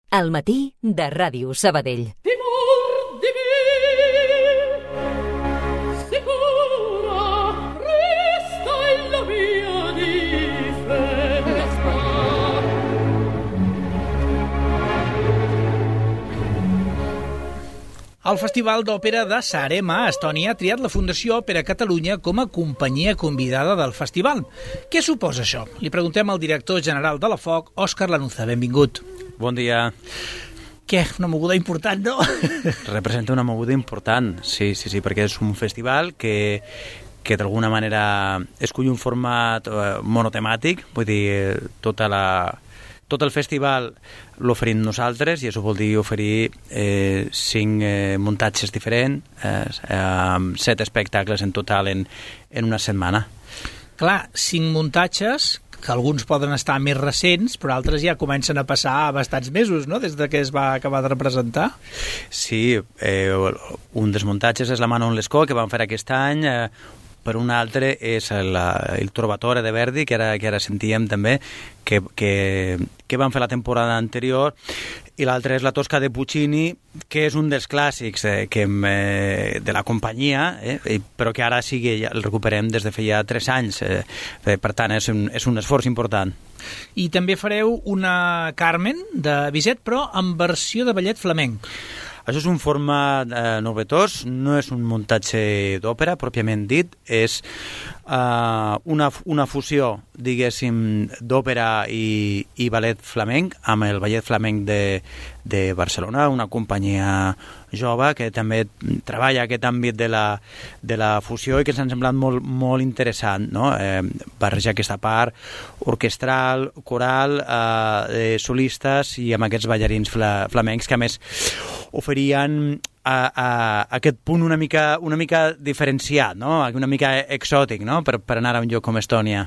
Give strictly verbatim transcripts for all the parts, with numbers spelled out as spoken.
Al matí de Ràdio Sabadell. El Festival d'Òpera de Saaremaa, a Estònia, ha triat la Fundació Òpera Catalunya com a companyia convidada del festival. Què suposa això? Li preguntem al director general de la F O C, Òscar Lanuza. Benvingut. Bon dia. Què? Una moguda important, no? Representa una moguda important, sí, sí, sí, perquè és un festival que, que d'alguna manera escull un format eh, monotemàtic, vull dir, tota la... Tot el festival l'oferim nosaltres i això vol dir oferir eh, cinc eh, muntatges diferents, eh, amb set espectacles en total en, en una setmana. Clar, cinc muntatges, que alguns poden estar més recents, però altres ja comencen a passar bastants mesos, no?, des de que es va acabar de representar. Sí, eh, un dels muntatges és la Manon Lescaut, que vam fer aquest any, eh, per un altre és el, el Trovatore de Verdi, que ara, que ara sentíem també, que, que, que van fer la temporada anterior, i l'altre és la Tosca de Puccini, que és un dels clàssics eh, que, eh, de la companyia, eh, però que ara sí que ja el recuperem des de feia tres anys. Eh, per tant, és un, és un esforç important. I també fareu una Carmen de Bizet, però en versió de ballet flamenc. Això és un format eh, novetós, no és un muntatge d'òpera, pròpiament dit, és eh, una, una fusió, diguéssim, d'òpera i, i ballet flamenc, amb el ballet flamenc de, de Barcelona, una companyia jove que també treballa aquest àmbit de la, de la fusió i que ens ha semblat molt, molt interessant, no? Eh, barrejar aquesta part orquestral, coral, eh, solistes i amb aquests ballarins fla, flamencs que a més oferien a, a, a aquest punt una mica, una mica diferenciat, no? Una mica exòtic, no?, per, per anar a un lloc com Estònia.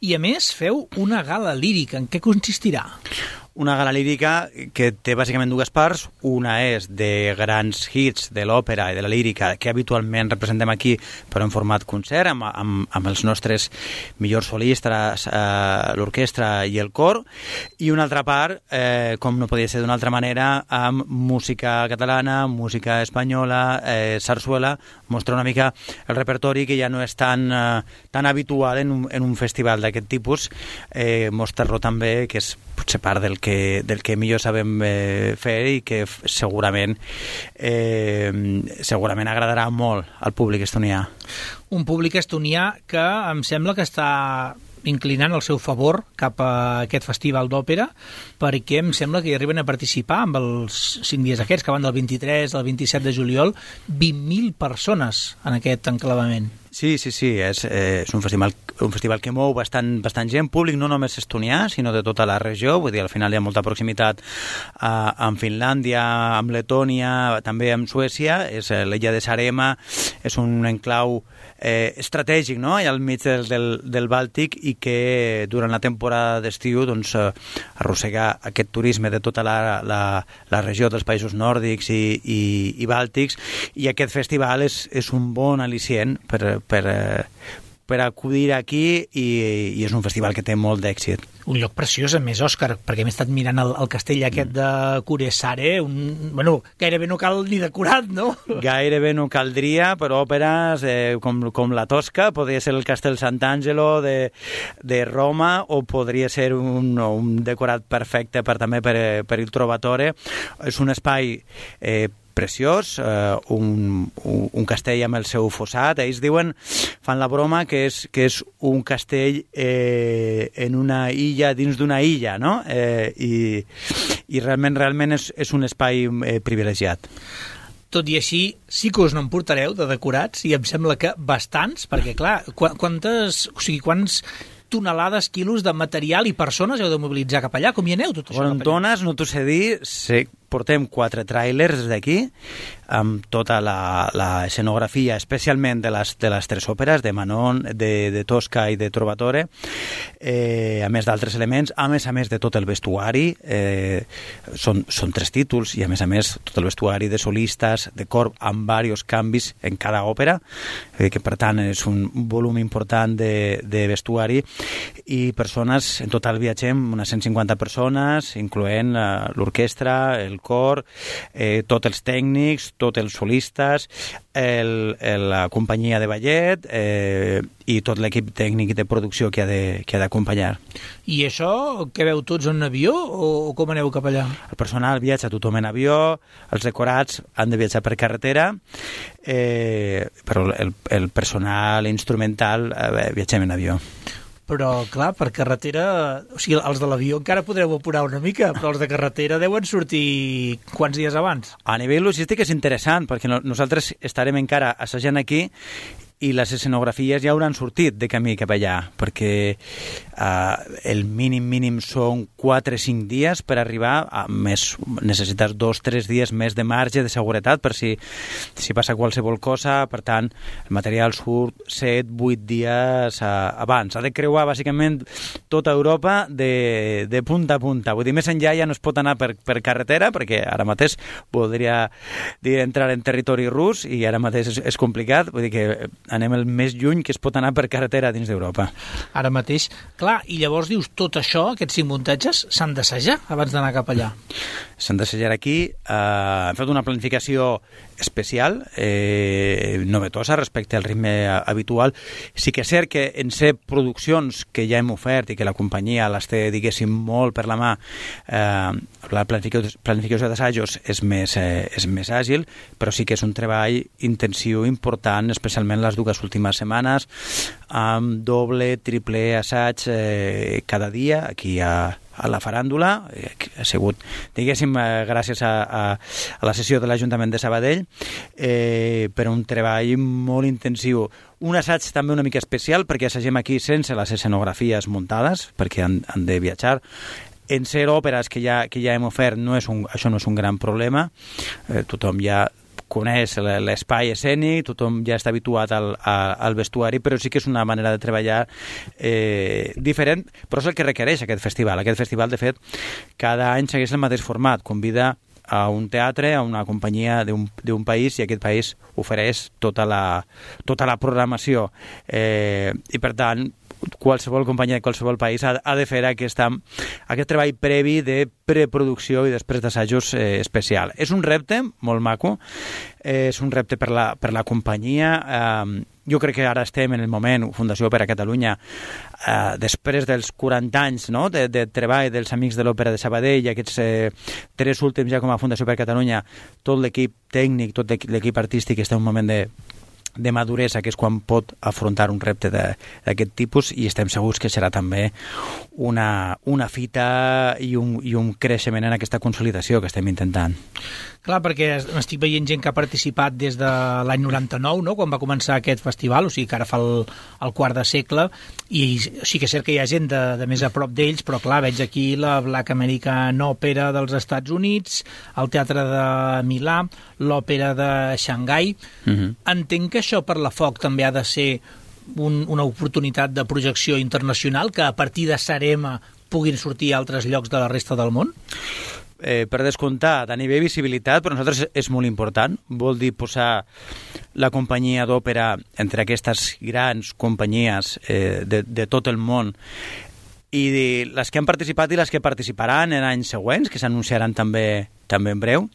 I a més feu una gala lírica. En què consistirà? Una gala lírica que té bàsicament dues parts. Una és de grans hits de l'òpera i de la lírica que habitualment representem aquí, però en format concert, amb, amb, amb els nostres millors solistes, eh, l'orquestra i el cor. I una altra part, eh, com no podia ser d'una altra manera, amb música catalana, música espanyola, eh, sarsuela, mostra una mica el repertori que ja no és tan, eh, tan habitual en un, en un festival d'aquest tipus, eh, mostrar-lo també, que és potser part del que, del que millor sabem eh, fer i que segurament eh, segurament agradarà molt al públic estonià. Un públic estonià que em sembla que està inclinant el seu favor cap a aquest festival d'òpera, perquè em sembla que hi arriben a participar amb els cinc dies aquests, que van del vint-i-tres al vint-i-set de juliol, vint mil persones en aquest enclavament. Sí, sí, sí, és, eh, és un festival, un festival que mou bastant, bastant gent, públic no només estonià, sinó de tota la regió, vull dir, al final hi ha molta proximitat eh, amb Finlàndia, amb Letònia, també amb Suècia, és eh, l'illa de Saaremaa, és un enclau eh, estratègic, no?, al mig del, del, del Bàltic, i que durant la temporada d'estiu doncs, eh, arrossega aquest turisme de tota la, la, la regió dels països nòrdics i, i, i bàltics, i aquest festival és, és un bon al·licient per per, per acudir aquí i, i és un festival que té molt d'èxit. Un lloc preciós, a més, Òscar, perquè m'he estat mirant el, el castell aquest de Kuressaare, un, bueno, gairebé no cal ni decorat, no? Gairebé no caldria, però òperes eh, com, com la Tosca, podria ser el Castell Sant'Angelo de, de Roma, o podria ser un, un decorat perfecte per, també per, per il Trovatore. És un espai eh, preciós, eh, un, un, un castell amb el seu fossat. Ells diuen, fan la broma, que és, que és un castell eh, en una illa dins d'una illa, no? Eh, i, i realment, realment és, és un espai eh, privilegiat. Tot i així, sí que us n'emportareu de decorats, i em sembla que bastants, perquè, clar, quantes, o sigui, quants tonelades, quilos de material i persones heu de mobilitzar cap allà? Com hi aneu, tot això? Bueno, en tones, no t'ho sé dir, sé, portem quatre tràilers d'aquí, amb tota la, la escenografia, especialment de les, de les tres òperes, de Manon, de, de Tosca i de Trovatore, eh, a més d'altres elements, a més a més de tot el vestuari, eh, són, són tres títols, i a més a més tot el vestuari de solistes, de cor, amb diversos canvis en cada òpera, eh, que per tant és un volum important de, de vestuari, i persones, en total viatgem unes cent cinquanta persones, incloent eh, l'orquestra, el cor, eh, tots els tècnics, tots els solistes, el, el, la companyia de ballet eh, i tot l'equip tècnic de producció que ha de, que ha d'acompanyar. I això, què veu tots en avió o com aneu cap allà? El personal viatja tothom en avió, els decorats han de viatjar per carretera, eh, però el, el personal instrumental eh, viatgem en avió. Però, clar, per carretera... O sigui, els de l'avió encara podreu apurar una mica, però els de carretera deuen sortir quants dies abans? A nivell logístic és interessant, perquè no, nosaltres estarem encara assajant aquí i les escenografies ja hauran sortit de camí cap allà, perquè eh, el mínim mínim són quatre o cinc dies per arribar, a més necessites dos o tres dies més de marge de seguretat per si, si passa qualsevol cosa, per tant el material surt set o vuit dies eh, abans. Ha de creuar bàsicament tota Europa de, de punta a punta, vull dir, més enllà ja no es pot anar per, per carretera, perquè ara mateix podria dir entrar en territori rus i ara mateix és, és complicat, vull dir que anem el més lluny que es pot anar per carretera dins d'Europa. Ara mateix. Clar, i llavors dius, tot això, aquests cinc muntatges, s'han d'assajar abans d'anar cap allà? S'han d'assajar aquí. Eh, hem fet una planificació especial, eh, novetosa respecte al ritme habitual. Sí que és cert que en ser produccions que ja hem ofert i que la companyia les té, diguéssim, molt per la mà, eh, la planificació, planificació d'assajos és més, eh, és més àgil, però sí que és un treball intensiu, important, especialment les dues últimes setmanes, amb doble, triple assaig eh, cada dia, aquí a, a la faràndula. Ha sigut, diguéssim, eh, gràcies a, a, a la sessió de l'Ajuntament de Sabadell, eh, per un treball molt intensiu. Un assaig també una mica especial, perquè assagem aquí sense les escenografies muntades, perquè han, han de viatjar. En ser òperes que ja, que ja hem ofert, no és un, això no és un gran problema. Eh, tothom ja coneix l'espai escènic, tothom ja està habituat al, al vestuari, però sí que és una manera de treballar eh, diferent, però és el que requereix aquest festival. Aquest festival, de fet, cada any segueix el mateix format, convida a un teatre, a una companyia d'un país, i aquest país ofereix tota la, tota la programació. Eh, I, per tant, qualsevol companyia de qualsevol país ha, ha de fer aquesta, aquest treball previ de preproducció i després d'assajos eh, especial. És un repte molt maco, eh, és un repte per la, per la companyia. Eh, jo crec que ara estem en el moment, Fundació Òpera Catalunya, eh, després dels quaranta anys, no?, de, de treball dels Amics de l'Òpera de Sabadell, i aquests eh, tres últims ja com a Fundació Òpera Catalunya, tot l'equip tècnic, tot l'equip artístic està en un moment de de maduresa, que és quan pot afrontar un repte d'aquest tipus, i estem segurs que serà també una, una fita i un, i un creixement en aquesta consolidació que estem intentant. Clar, perquè estic veient gent que ha participat des de l'any noranta-nou, no?, quan va començar aquest festival, o sigui que ara fa el, el quart de segle, i sí que és cert que hi ha gent de, de més a prop d'ells, però clar, veig aquí la Black American Opera dels Estats Units, el Teatre de Milà, l'Òpera de Xangai. Uh-huh. Entenc que això per la F O C també ha de ser un, una oportunitat de projecció internacional, que a partir de Sarema puguin sortir a altres llocs de la resta del món? Eh, per descomptat, a nivell visibilitat, per nosaltres és molt important. Vol dir posar la companyia d'òpera entre aquestes grans companyies eh, de, de tot el món, i les que han participat i les que participaran en anys següents, que s'anunciaran també, també en breu.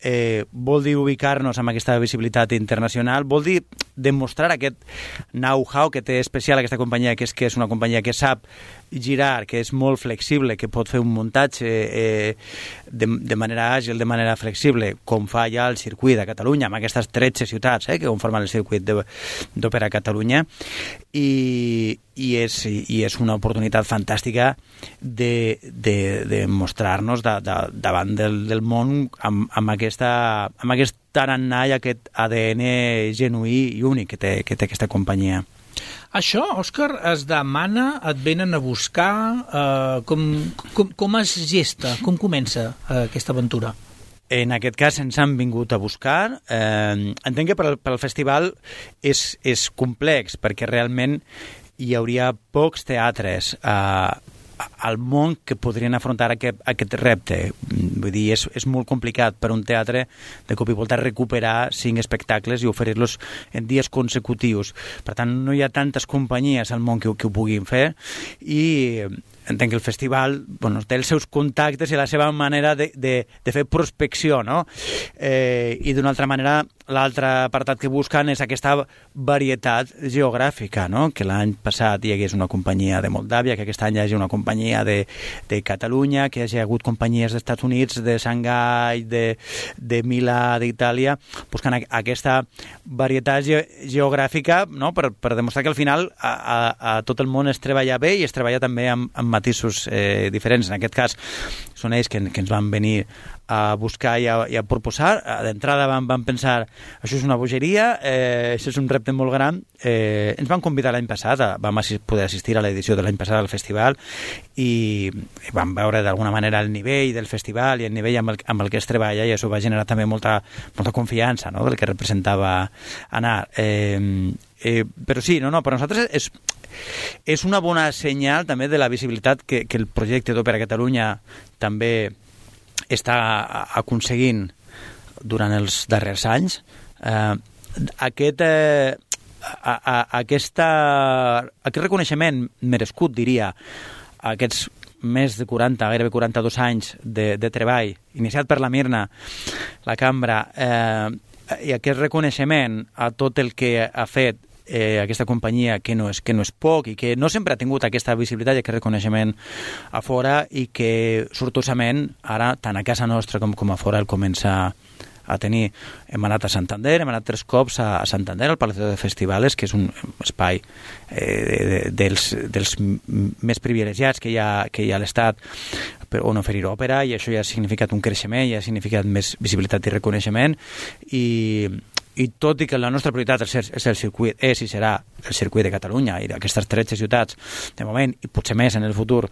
Eh, vol dir ubicar-nos amb aquesta visibilitat internacional, vol dir demostrar aquest know-how que té especial aquesta companyia, que és que és una companyia que sap girar, que és molt flexible, que pot fer un muntatge eh, de, de manera àgil, de manera flexible, com fa ja el circuit de Catalunya, amb aquestes tretze ciutats eh, que conformen el circuit d'Òpera Catalunya, i, i, és, i és una oportunitat fantàstica de, de, de mostrar-nos de, de, davant del, del món amb, amb, aquesta, amb aquest tarannà i aquest A D N genuí i únic que té, que té aquesta companyia. Això, Òscar, es demana, et venen a buscar, eh, com, com, com es gesta, com comença eh, aquesta aventura? en aquest cas ens han vingut a buscar. Eh, entenc que per al, per al festival és, és complex, perquè realment hi hauria pocs teatres eh, al món que podrien afrontar aquest, aquest repte. Vull dir, és, és molt complicat per un teatre de cop i volta recuperar cinc espectacles i oferir-los en dies consecutius. Per tant, no hi ha tantes companyies al món que, que ho puguin fer, i entenc que el festival, bueno, té els seus contactes i la seva manera de, de, de fer prospecció, no? Eh, I d'una altra manera, l'altre apartat que busquen és aquesta varietat geogràfica, no? Que l'any passat hi hagués una companyia de Moldàvia, que aquest any hi hagi una companyia de, de Catalunya, que hi hagi hagut companyies dels Estats Units, de Xangai, de, de Milà, d'Itàlia, buscant aquesta varietat ge geogràfica, no? per, per demostrar que al final a, a, a tot el món es treballa bé i es treballa també amb, amb matisos eh, diferents. En aquest cas són ells que, que ens van venir a buscar i a, i a proposar. D'entrada vam, vam pensar, això és una bogeria, eh, això és un repte molt gran. Eh, ens van convidar l'any passat, vam assi poder assistir a l'edició de l'any passat al festival, i, i vam veure d'alguna manera el nivell del festival i el nivell amb el, amb el que es treballa, i això va generar també molta, molta confiança, no?, del que representava anar. Eh, eh, però sí, no, no, per nosaltres és, és una bona senyal també de la visibilitat que, que el projecte d'Òpera Catalunya també està aconseguint durant els darrers anys. Eh, aquest, eh, a, a, aquesta, aquest reconeixement merescut, diria, aquests més de quaranta, gairebé quaranta-dos anys de, de treball, iniciat per la Mirna, la cambra, eh, i aquest reconeixement a tot el que ha fet eh, aquesta companyia, que no, és, que no és poc, i que no sempre ha tingut aquesta visibilitat i aquest reconeixement a fora, i que sortosament ara, tant a casa nostra com, com a fora, el comença a tenir. Hem anat a Santander, hem anat tres cops a, a Santander, al Palacio de Festivales, que és un espai eh, de, de, dels, dels més privilegiats que hi ha, que hi ha a l'Estat on oferir òpera, i això ja ha significat un creixement, ja ha significat més visibilitat i reconeixement, i i tot i que la nostra prioritat és el circuit, és i serà el circuit de Catalunya i d'aquestes tretze ciutats de moment, i potser més en el futur,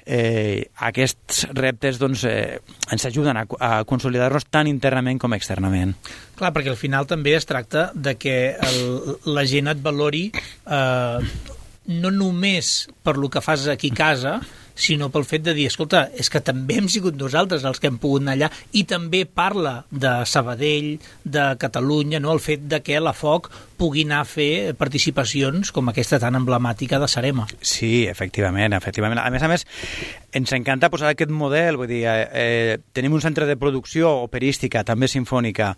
eh, aquests reptes doncs, eh, ens ajuden a, a consolidar-nos tant internament com externament. Clar, perquè al final també es tracta de que el, la gent et valori eh, no només per lo que fas aquí a casa, sinó pel fet de dir, escolta, és que també hem sigut nosaltres els que hem pogut anar allà, i també parla de Sabadell, de Catalunya, no? El fet de que la Foc pugui anar a fer participacions com aquesta tan emblemàtica de Sarema. Sí, efectivament, efectivament. A més a més, ens encanta posar aquest model, vull dir, eh, tenim un centre de producció operística, també sinfònica,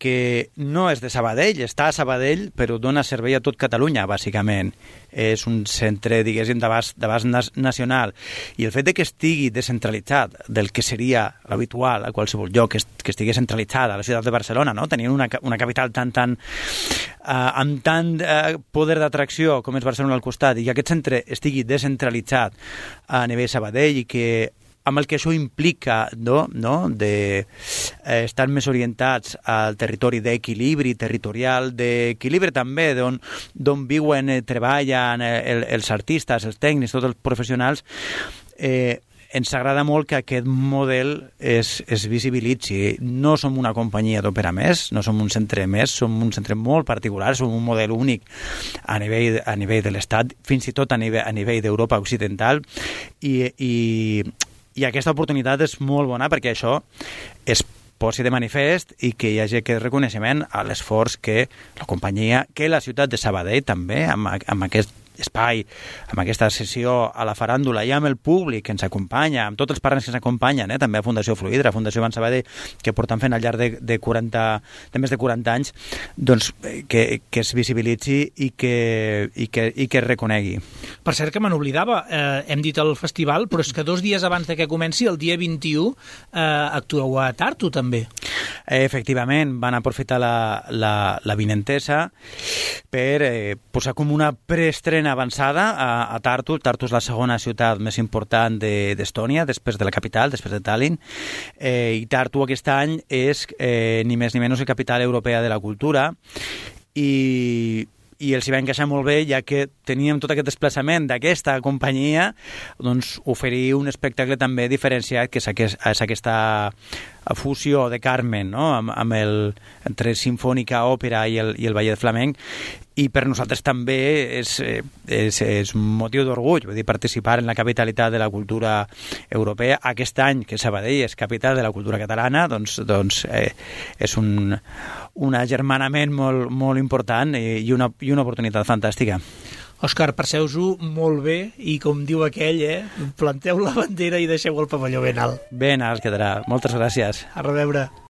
que no és de Sabadell, està a Sabadell, però dona servei a tot Catalunya, bàsicament. És un centre, diguéssim, d'abast nacional. I el fet de que estigui descentralitzat del que seria l'habitual a qualsevol lloc, que, que estigui centralitzat a la ciutat de Barcelona, no? Tenint una, una capital tan, tan, uh, amb tant uh, poder d'atracció com és Barcelona al costat, i que aquest centre estigui descentralitzat a nivell Sabadell, i que amb el que això implica, no, no? de eh, estar més orientats al territori d'equilibri territorial, d'equilibri també d'on d'on viuen, eh, treballen eh, el, els artistes, els tècnics, tots els professionals. eh, ens agrada molt que aquest model es, es visibilitzi. No som una companyia d'òpera més, no som un centre més, som un centre molt particular, som un model únic a nivell, a nivell de l'Estat, fins i tot a nivell, a nivell d'Europa occidental, i, i I aquesta oportunitat és molt bona perquè això es posi de manifest i que hi hagi aquest reconeixement a l'esforç que la companyia, que la ciutat de Sabadell també, amb, amb aquest espai, amb aquesta sessió a la faràndula i amb el públic que ens acompanya, amb tots els partners que ens acompanyen, eh? també a Fundació Fluidra, a Fundació Ban Sabadell, que porten fent al llarg de, de, quaranta, de més de quaranta anys, doncs que, que es visibilitzi i que, i que, i que es reconegui. Per cert, que me n'oblidava, eh, hem dit el festival, però és que dos dies abans de que comenci, el dia vint-i-u, eh, actueu a Tartu, també. Eh, efectivament, van aprofitar la, la, la vinentesa per eh, posar com una preestrena avançada a, a Tartu. Tartu és la segona ciutat més important d'Estònia, de, després de la capital, després de Tallinn, eh, i Tartu aquest any és eh, ni més ni menys la capital europea de la cultura, i i els hi va encaixar molt bé, ja que teníem tot aquest desplaçament d'aquesta companyia, doncs oferir un espectacle també diferenciat, que és, aquest, és aquesta fusió de Carmen, no? amb, amb el, entre sinfònica, òpera i el, i el ballet flamenc, i per nosaltres també és, és, és un motiu d'orgull, vull dir, participar en la capitalitat de la cultura europea. Aquest any que Sabadell és capital de la cultura catalana, doncs, doncs eh, és un, un agermanament molt, molt important i una, i una oportunitat fantàstica. Òscar, passeu-ho molt bé i, com diu aquell, eh, planteu la bandera i deixeu el pavelló ben alt. Ben alt quedarà. Moltes gràcies. A reveure.